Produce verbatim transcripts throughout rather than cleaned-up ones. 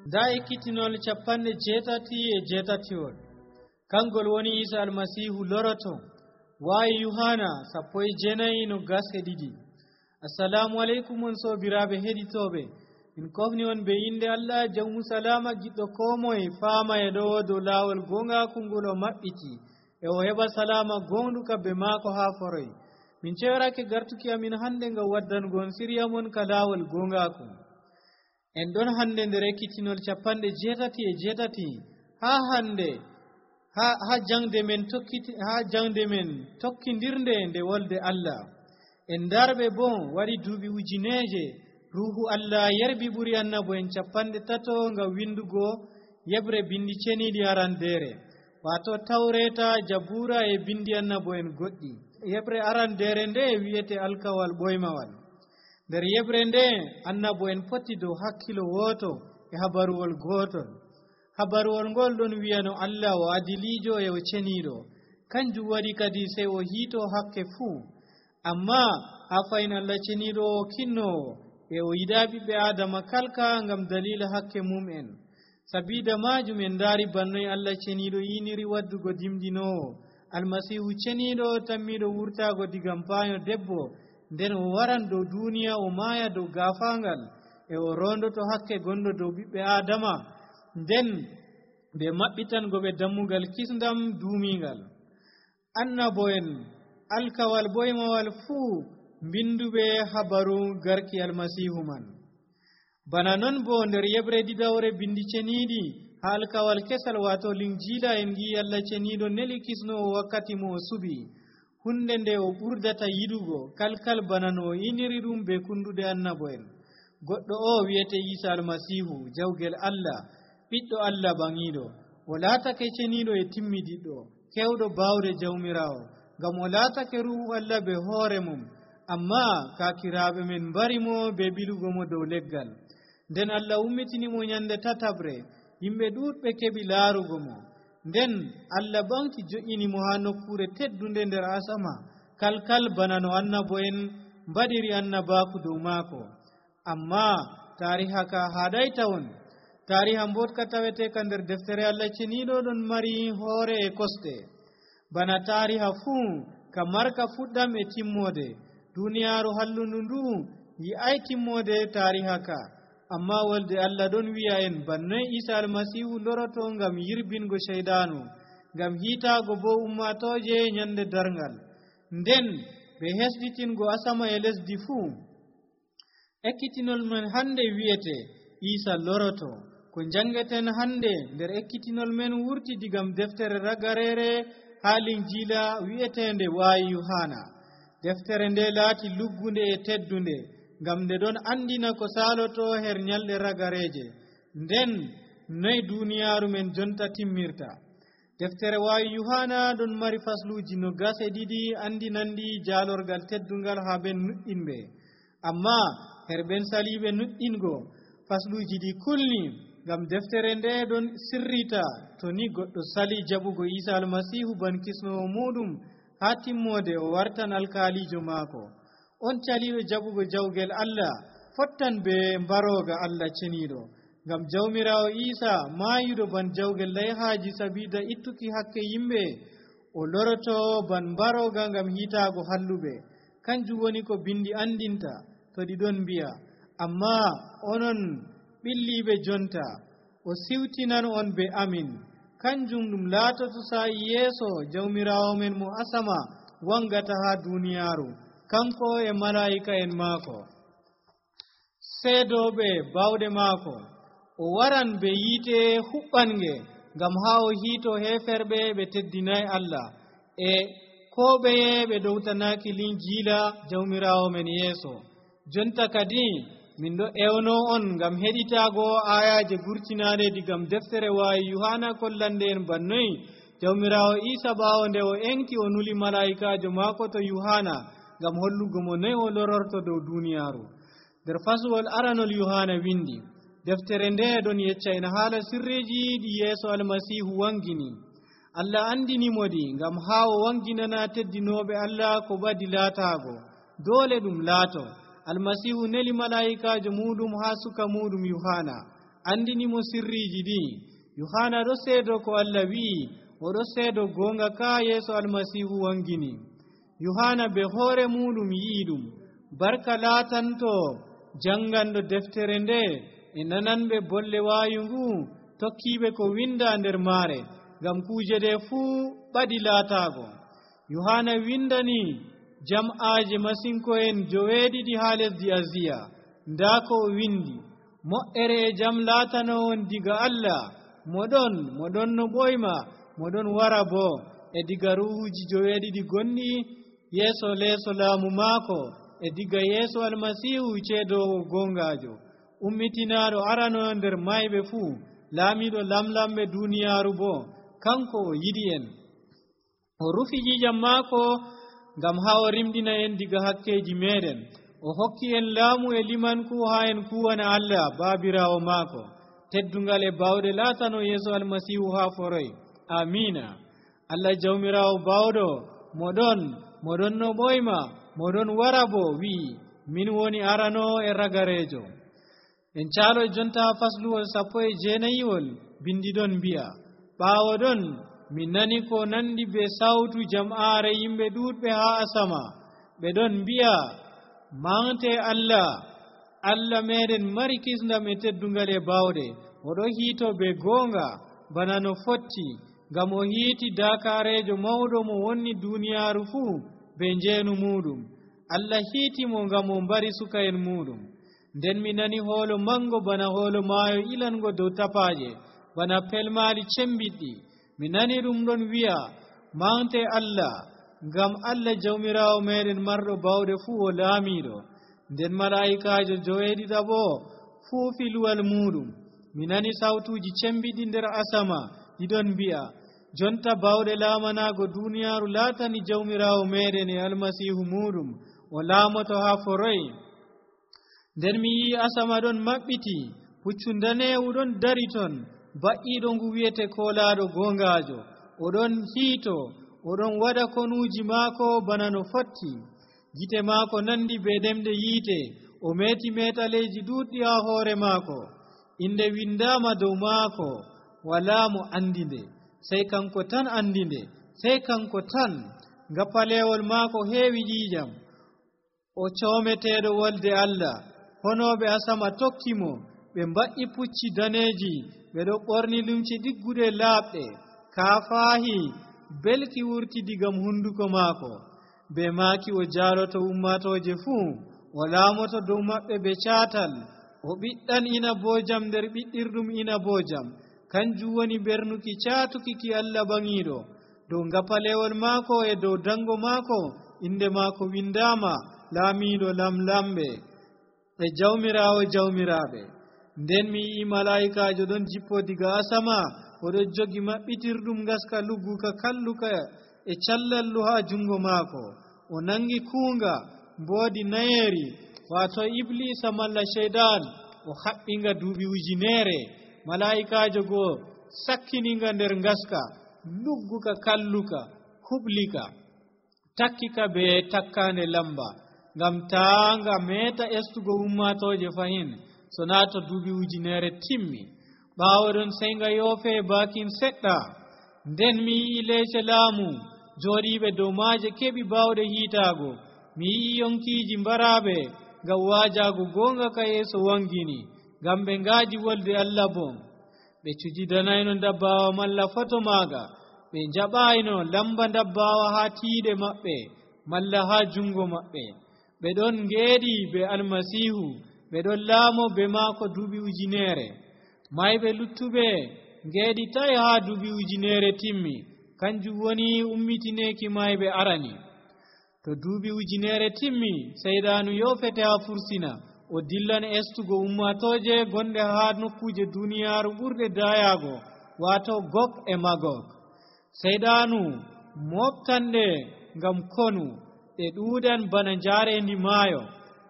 da ekkitinol capanɗe jeetati e jeetatiwol kangol woni Isa almasihu loroto. Waawi Yohana sappo e jeenayi no gas e ɗiɗi. Assalamu aleykum on sobiraɓe heɗitoɓe, min kofni on be inde Allah jawmu salama giɗɗo ko moye faama e ɗo dow laawol gongaku ngol o maɓɓiti e o heɓa salama gonɗuka be maako haa foroy. Min cewarake gartuki amin hande ngam waddango on siriya mon ka laawol gongaku. En ɗon hande nder ekkitinol capanɗe jeetati e jeetati ha hande ha ha jangde men tokkiti ha jangde men tokkidirnde nde wolde Allah. En darɓe bon waɗi duuɓi ujineje ruhu Allah yerbi ɓuri annabo en capanɗe tato ngam windugo yebre bindi ceniɗi arandere, wato tawreta, jabura e bindi annabo en goɗɗi. Yebre arandere nde wi'ete alkawal ɓoymawal. nder yebre nde annabo en poti dow hakkilo woto e habaruwol gotol. habaruwol ngol ɗon wiyano Allah o adilijo e o ceniɗo, kanjum waɗi kadi sey o hiito hakke fuu. amma ha fayin Allah ceniɗo o kinnowo e o yiɗa ɓiɓɓe adama kalka ngam dalila hakke mum'en. sabida majum en daari bannoy Allah ceniɗo yiniri waddugo dimdinowo almasihu ceniɗo tammiɗo wurtago digam payo debbo, nden o waran dow duniya o maaya dow gafangal e o rondoto hakke gonɗo dow ɓiɓɓe adama, nden ɓe maɓɓitango ɓe dammugal kisdam duumingal. annabo en alkawal boymawal fuu mbinduɓe habaru garki almasihu man. bana non bo nder yebre ɗiɗawre bindi ceniɗi ha alkawal kesal wato linjila en gi Allah ceniɗo neli kisnowo wakkati mo o suɓi hunde nde o ɓurdata yiɗugo kalkal bana no o iniri ɗum be kunduɗe annabo en. goɗɗo o wiyete Isa almasihu, jawgel Allah, ɓiɗɗo Allah ɓangiɗo. o laatake ceniɗo e timmidiɗɗo, kewɗo bawde jawmirawo, ngam o laatake ruhu Allah be hoore mum, amma kakiraɓe men mbarimo be ɓilugo mo dow leggal. nden Allah ummitinimo nyande tatabre, yimɓe ɗuɗɓe keɓi laarugo mo. nden Allah ɓanki jo'inimo ha nokkure teddunde nder asama, kalkal bana no annabo en mbaɗiri annabaku dow maako. amma tariha ka haɗay tawon. tariha mbotka tawete ka nder deftere Allah ceniɗo ɗon mari hoore e kosɗe. bana tariha fuu ka marka fuɗɗam e timmode. duniyaaru hallundu ndu yi'ay timmode tariha ka. amma wolde Allah ɗon wi'a en bannoy Isa almasihu loroto ngam yirbingo sheydanu, ngam hiitaago bo ummatoje nyande darngal, nden ɓe hesɗitingo asama e lesdi fuu. ekkitinol men hande wi'ete Isa loroto. ko jangeten hande nder ekkitinol men wurti digam deftere ragarere ha linjila wi'etende waayi Yohana. deftere nde laati luggunde e teddunde, ngam nde ɗon andina ko saloto her nyalɗe ragareje, nden noy duniyaaru men jonta timmirta. deftere waayi Yohana ɗon mari fasluji no gase ɗiɗi andinandi jaalorgal teddungal ha ben nuɗɗinɓe. amma her ben saliɓe nuɗɗingo fasluji ɗi kulni, ngam deftere nde ɗon sirrita to ni goɗɗo sali jaɓugo Isa almasihu ban kisnowo muɗum ha timmode o wartan alkalijo maako. on caliɗo jaɓugo jawgel Allah fottan be mbaroga Allah ceniɗo, ngam jawmirawo Isa maayuɗo ban jawgel layhaji sabida ittuki hakke yimɓe, o loroto ban mbaroga ngam hiitaago halluɓe. kanjum woni ko bindi andinta to ɗi ɗon mbi'a, amma onon ɓilliɓe jonta o siwtinan on be amin. kanjum ɗum laatoto sa'i yeeso jawmirawo men mo asama wangata ha duniyaaru, kanko e malaika en maako seedoɓe bawɗe maako. o waran be yiite huɓɓange ngam ha o hiito heferɓe ɓe teddinayi Allah e ko ɓeye ɓe dowtanaki linjila jawmirawo men yeeso. jonta kadi min ɗo ewno on ngam heɗitago ayaje gurtinaɗe digam deftere waayi Yohana kollande en bannoy jawmirawo Isa ɓawo nde o enki o nuli malaikajo maako to Yohana ngam hollugo mo noy o lororto dow duniyaaru. nder fasuwol aranol Yohana windi, deftere nde ɗon yecca en haala sirriji ɗi yeeso almasihu wangini. Allah andinimodi ngam ha o wanginana teddinoɓe Allah ko ɓadi laatago, doole ɗum laato. almasihu neli malaikajo muɗum ha suka muɗum Yohana, andinimo sirriji ɗi. Yohana ɗo seedo ko Allah wi'i, oɗo seedo gonga ka yeeso almasihu wangini. Yohana be hoore muɗum yi'i ɗum. Barka laatanto janganɗo deftere nde e nananɓe bolle waayu ngu tokkiɓe ko winda nder maare, ngam kuuje ɗe fuu ɓadi laataago. Yohana windani jam'aaje masinko'en joweeɗiɗi haa lesdi Asiya. Ndaa ko o windi: mo'ere e jam laatanowon diga Allah, moɗon moɗon no ɓoyma, moɗon wara boo e diga ruuhuji joweeɗiɗi gonɗi yeeso leeso laamu maako, e diga yeeso almasihu ceedowo gongaajo, ummitinaaɗo aranoyo nder mayɓe fuu, laamiiɗo lamlamɓe duuniyaaru boo. Kanko o yiɗi en, o rufi ƴiiƴam maako ngam haa o rimɗina en diga hakkeeji meeɗen. O hokki en laamu e limanku haa en kuwana Allah baabiraawo maako. Teddungal e bawɗe laatano yeeso almasihu haa foroy. Amiina. Allah jawmiraawo bawɗo, moɗon moɗon no ɓoyma, moɗon wara boo wi'i, min woni aranoo e ragareejo. En caalo jonta fasluwol sappo e jeenayiwol bindiɗon mbi'a: ɓaawo ɗon min nani ko nandi be sawtu jam'aare yimɓe ɗuuɗɓe haa asama, ɓe ɗon mbi'a, mante Allah, Allah meɗen mari kisndam e teddungal e bawɗe. Oɗo hiito be goonga bana no fotti, ngam o hiiti daakaareejo mawɗo mo wonni duuniyaaru fuu be njeenu muɗum. Allah hiitimo ngam o mbari suka en muɗum. Nden mi nani hoolo mango bana hoolo maayo ilango dow tapaaje, bana pelmaali cembiɗɗi. Mi nani ɗum ɗon wi'a, mante Allah, ngam Allah jawmiraawo meɗen marɗo bawɗe fuu o laamiiɗo. Nden malaa'ikaajo joweeɗiɗaɓo fuufi luwal muɗum. Mi nani sawtuuji cembiɗɗi nder asama ɗiɗon mbi'a, jonta bawɗe laamanaago duuniyaaru laatani jawmiraawo meɗen e almasihu muɗum, o laamoto haa foroy. Nden mi yi'i asama ɗon maɓɓiti, puccu daneewu ɗon dari ton, ba'iiɗo ngu wiyete koolaaɗo gongaajo. Oɗon hiito, oɗon waɗa konuuji maako bana no fotti. Gite maako nandi be ɗemɗe yiite, o meeti meetaleeji ɗuuɗɗi haa hoore maako. Inde windaama dow maako, walaa mo andi nde, sey kanko tan andi nde, sey kanko tan. Ngappaleewol maako heewi ƴiiƴam, o coometeeɗo wolde Allah. Honooɓe asama tokki mo, ɓe mba'i pucci daneeji, ɓe ɗo ɓorni lumce ɗigguɗe laaɓɗe. Kaafaahi belki wurti digam hunduko maako. Be maaki o jaaloto ummatooje fuu, o laamoto dow maɓɓe be caatal. O ɓiɗɗan inaboojam nder ɓiɗɗirɗum inaboojam. Kanjum woni ɓernuki caatuki ki Allah baŋiiɗo. Dow ngapalewol maako e dow dango maako inde maako windaama, laamiiɗo lamlamɓe e jawmiraawo jawmiraaɓe. Nden mi yi'i malaa'ikaajo ɗon jippo diga asama, oɗo jogi maɓɓitirɗum ngaska lugguka kalluka e callallu haa jungo maako. O nangi kuunga mboodi nayeeri, waato iblisa malla sheydan, o haɓɓinga duuɓi ujineere. Malaa'ikaajo goo sakkininga nder ngaska lugguka kalluka huɓlika, takkika be takkaande lamba, ngam taa nga meeta estugo ummatooje fahin, so naa to duuɓi ujineere timmi. Ɓaawo ɗon sey nga yoofe baakin seɗɗa. Nden mi yi'i leece laamu jooɗiiɓe dow maaje keɓi baawɗe hiitaago. Mi yi'i yonkiiji mbaraaɓe ngam waajaago goonga ka yeeso wangini, ngam ɓe ngaaji wolde Allah bon. Ɓe cujidanayno ndabbaawa malla foto maaga, ɓe njaɓaayno lamba ndabbaawa haa tiiɗe maɓɓe malla haa jungo maɓɓe. Ɓe ɗon ngeeɗi be almasihu, ɓe ɗon laamo be maako duuɓi ujineere. Mayɓe luttuɓe ngeeɗitay haa duuɓi ujineere timmi, kanjum woni ummitineeki mayɓe arani. To duuɓi ujineere timmi, seyɗaanu yoofete haa fursina, o dillan estugo ummatooje gonɗe haa nokkuuje duuniyaaru ɓurɗe daayaago, waato Gog e Magog. Seyɗaanu moftanɗe ngam konu, ɗe ɗuuɗan bana njaareendi maayo,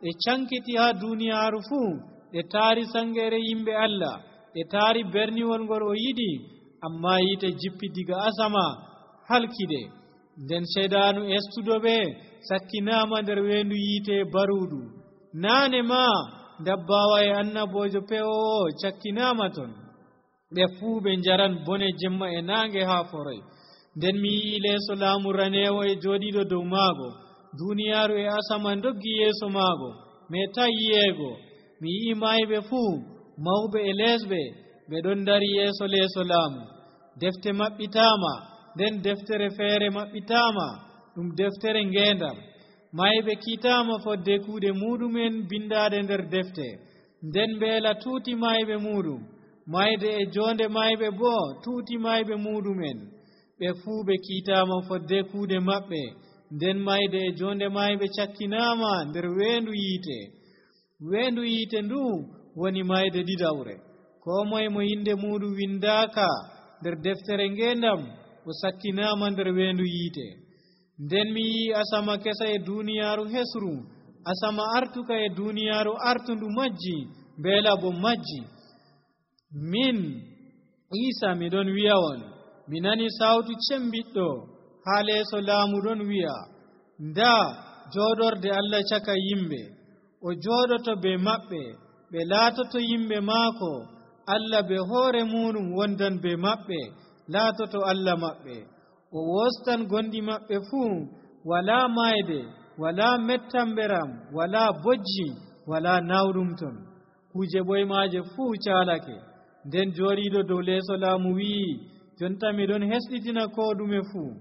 ɗe cankiti haa duuniyaaru fuu, ɗe taari sangere yimɓe Allah, ɗe taari berniwol ngol o yiɗi, ammaa yiite jippi diga asama halkiɗe. Nden seyɗaanu estuɗo ɓe sakkinaama nder weendu yiite baruuɗu. Naane maa dabbawa e annabojo pewowo cakkinama ton ɓe fuu ɓe njaran bone jemma e naange haa foroy. nden mi yii leeso laamu raneewo e jooɗiiɗo dow maago, duuniyaaru e asama ndoggi yeeso maago meta yiyeego. mi yii maayɓe fuu mawɓe e leesɓe ɓe ɗon dari yeeso leeso laamu. defte maɓɓitaama, nden deftere feere maɓɓitaama, ɗum deftere ngeendam. maayɓe kiitaama fodde kuuɗe muɗumen bindaade nder defte, nden mbeela tuuti maayɓe muɗum. mayde e jonde mayɓe boo tuuti mayɓe muɗumen, ɓe fuu ɓe kiitaama fodde kuuɗe maɓɓe, nden mayde e jonde mayɓe cakkinaama nder weendu yiite. weendu yiite ndu woni mayde ɗiɗawre. koo moye mo yinde muɗum windaaka nder deftere ngeendam o sakkinaama nder weendu yiite. nden mi yii asama kesa e duuniyaaru hesru, asama artuka e duuniyaaru artundu majji, mbeela bo majji. min Iisa miɗon wi'a on, mi nani sawtu cembiɗɗo haa leeso laamu ɗon wi'a, ndaa jooɗorde Allah caka yimɓe, o jooɗoto be maɓɓe, ɓe laatoto yimɓe maako. Allah be hoore muɗum wondan be maɓɓe, laatoto Allah maɓɓe. o wostan gonɗi maɓɓe fuu, walaa mayde, walaa mettamberam, walaa bojji, walaa nawɗum ton. kuje ɓoymaaje fuu caalake. nden jooɗiiɗo dow leeso laamu wi'i, jonta miɗon hesɗitina ko ɗume fuu.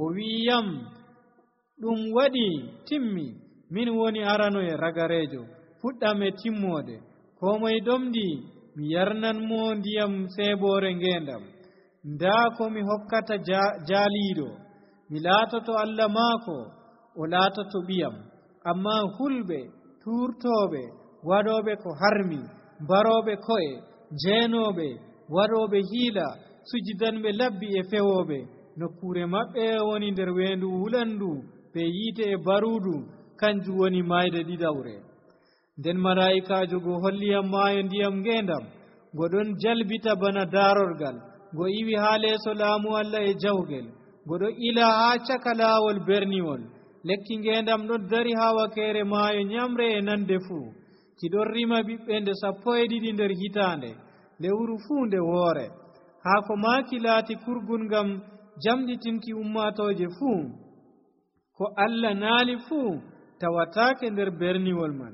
o wi'iyam, ɗum waɗi timmi, min woni arano e ragareejo, fuɗɗam e timmoode. ko moye ɗomɗi mi yarnanmo ndiyam seeboore ngeendam. ndaa ko mi hokkata jaaliiɗo, mi laatoto Allah maako, o laatoto ɓiyam. amma hulɓe, tuurtooɓe, waɗooɓe ko harmi, mbarooɓe ko'e, jeenooɓe, waɗooɓe hiila, sujidanɓe labbi e fewooɓe, nokkuure maɓɓe woni nder weendu wulandu be yiite e baruudu, kanjum woni mayde ɗiɗawre. nden malaa'ikaajo go holliyam maayo ndiyam ngeendam, ngo ɗon jalbita bana daarorgal, ngo iwi haa leeso laamu Allah e jawgel, ngo ɗo ila haa caka laawol berniwol. lekki ngeendam ɗon dari haa wakeere maayo nyamre e nande fuu. ki ɗon rima ɓiɓɓe nde sappo e ɗiɗi nder hitaande, lewru fuu nde woore. haako maaki laati kurgun ngam jamɗitinki ummaatooje fuu. ko Allah naali fuu tawataake nder berniwol man.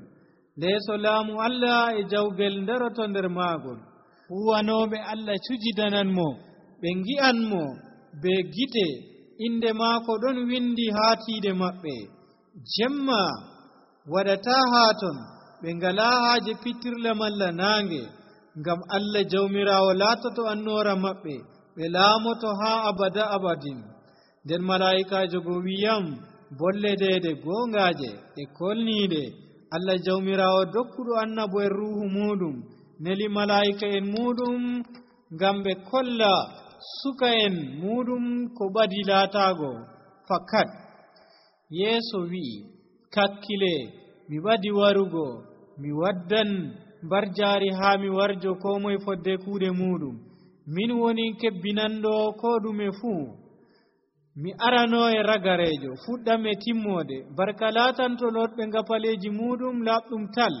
leeso laamu Allah e jawgel ndaroto nder maagol. huwanooɓe Allah cujidananmo, ɓe ngi'anmo be gite, inde maako ɗon windi haa tiiɗe maɓɓe. jemma waɗataa haa ton, ɓe ngalaa haaje pittirle malla naange, ngam Allah jawmiraawo laatoto annoora maɓɓe, ɓe laamoto haa abada abadin. nden malaa'ikaajo go wiyam, bolle deede goongaaje e kolniiɗe, Allah jawmiraawo dokkuɗo annabo en ruuhu muɗum, neli malaa'ika en muɗum ngam ɓe kolla suka en muɗum ko ɓadi laataago fakat. yeeso wi'i, kakkile, mi ɓadi warugo, mi waddan mbarjaari haa mi warjo ko moye fodde kuuɗe muɗum. min woni kebbinanɗo ko ɗume fuu. mi arano e ragareejo, fuɗɗam e timmoode. barka laatanto lotɓe ngapaleeji muɗum laaɓɗum tal.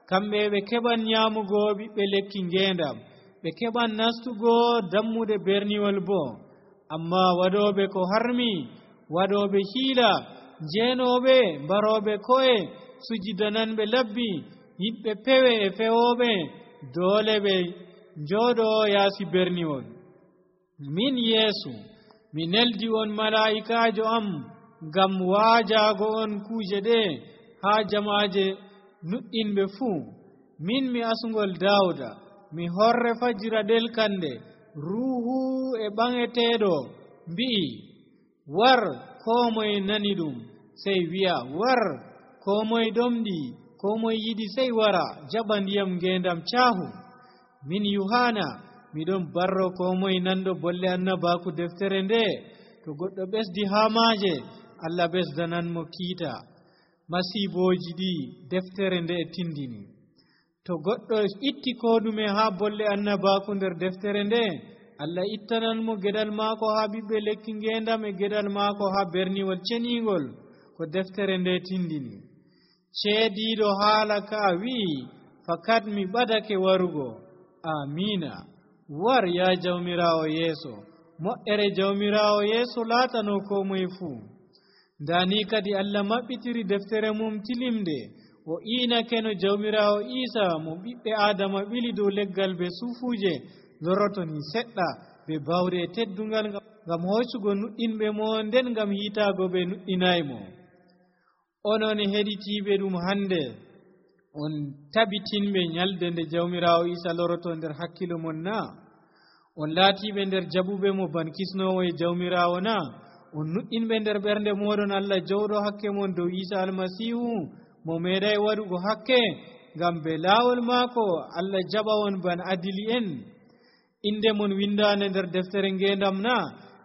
kamɓe ɓe keɓan nyaamugo ɓiɓɓe lekki ngeendam, ɓe keɓan nastugo dammude berniwol boo. amma waɗooɓe ko harmi, waɗooɓe hiila, jeenooɓe, mbarooɓe ko'e, sujidananɓe labbi, yiɗɓe pewe e fewooɓe, doole ɓe njooɗoo yaasi berniwol. min Yeesu, mi neldi on malaa'ikaajo am ngam waajaago on kuuje ɗe haa jamaaje nuɗɗinɓe fuu. min mi asngol Daawuda, mi horre fajira ɗelkande. ruuhu e ɓaŋeteeɗo mbi'i, war. koo moye nani ɗum sey wi'a, war. koo moye ɗomɗi, koo moye yiɗi sey wara jaɓa ndiyam ngeendam caahu. min Yuhana, miɗon barro koo moye nanɗo bolle annabaaku deftere nde. to goɗɗo ɓesdi haa maaje, Allah ɓesdananmo kiita. masiibooji ɗi deftere nde tindini. to goɗɗo itti koo ɗume haa bolle annabaaku nder deftere nde, Allah ittananmo geɗal maako haa ɓiɓɓe lekki ngeendam e geɗal maako haa berniwol ceniingol ko deftere nde tindini. ceediiɗo haala ka wi'i, fakat mi ɓadake warugo. Amina. War ya jawmirawo yeeso, mo'ere jawmirawo yeeso laatano ko moye fuu. Ndani kadi Allah maɓɓitiri deftere mum tilimde o iinake no jawmirawo Isa mo ɓiɓɓe Adama ɓili dow leggal be suufuje lorotoni seɗɗa be bawde e teddungal ngam hoccugo nuɗɗinɓe mo nden ngam hiitaago ɓe nuɗɗinaymo. Onon heɗitiiɓe ɗum hande on tabitinɓe nyalde nde jawmirawo Isa loroto nder hakkilo mon na? On laatiɓe nder jaɓuɓe mo ban kisnowo e jawmirawo na? On nuɗɗinɓe nder ɓernde moɗon Allah jawɗo hakke mon dow Isa almasihu mo meeɗay waɗugo hakke ngam be laawol maako Allah jaɓa on ban adili en. Inde mon windaande nder deftere ngendam na?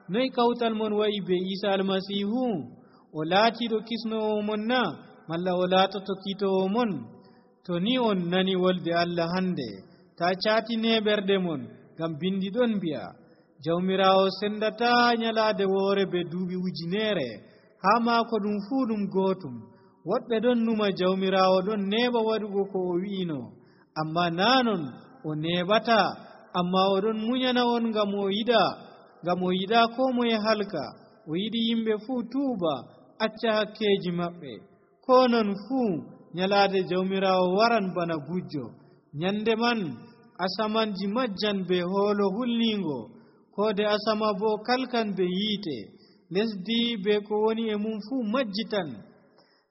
Noy kawtal mon wa'i be Isa almasihu? O laatiɗo kisnowo mon na? Malla o laatoto kiitowo mon? To ni on nani wolde Allah hande, ta caatine ɓerɗe mon, ngam bindi ɗon mbi'a jawmirawo sendata nyalaade woore be duuɓi ujunere, haa maako ɗum fuu ɗum gootum. Woɗɓe ɗon numa jawmirawo ɗon neeɓa waɗugo ko o wi'ino, amma nanon o neeɓata, amma oɗon munyana on ngam o yiɗa ngam o yiɗa ko moye halka. O yiɗi yimɓe fuu tuuba acca hakkeji maɓɓe. Ko non fuu nyalaade jawmirawo waran bana gujjo. Nyande man asamanji majjan be hoolo hulningo, koode asama bo kalkan be yiite, lesdi be ko woni e mum fuu majjitan.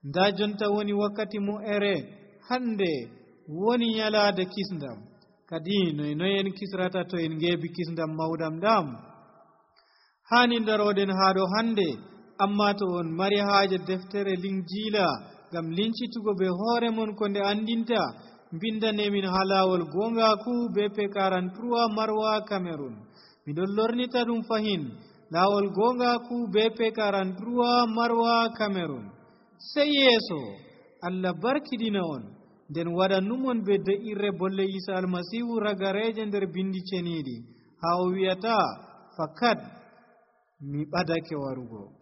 Nda jonta woni wakkati mo ere hande woni nyalaade kisndam. Kadi noy noyen kisrata to en ngeebi kisndam mawɗam ɗam? Hani daroɗen haa ɗo hande, amma to on mari haaje deftere linjiila ngam lincitugo be hoore mon ko nde andinta, mbindanemin ha laawol gongaku B P quarante-trois Marwa Cameroon. Miɗon lornita ɗum fahin, laawol gongaku B P quarante-trois Marwa Cameroon. Sey yeeso Allah barkidina on, nden waɗannumon be de'irre bolle Isa almasihu ragareje nder bindi ceniiɗi, haa o wi'ata fakat mi ɓadake warugo.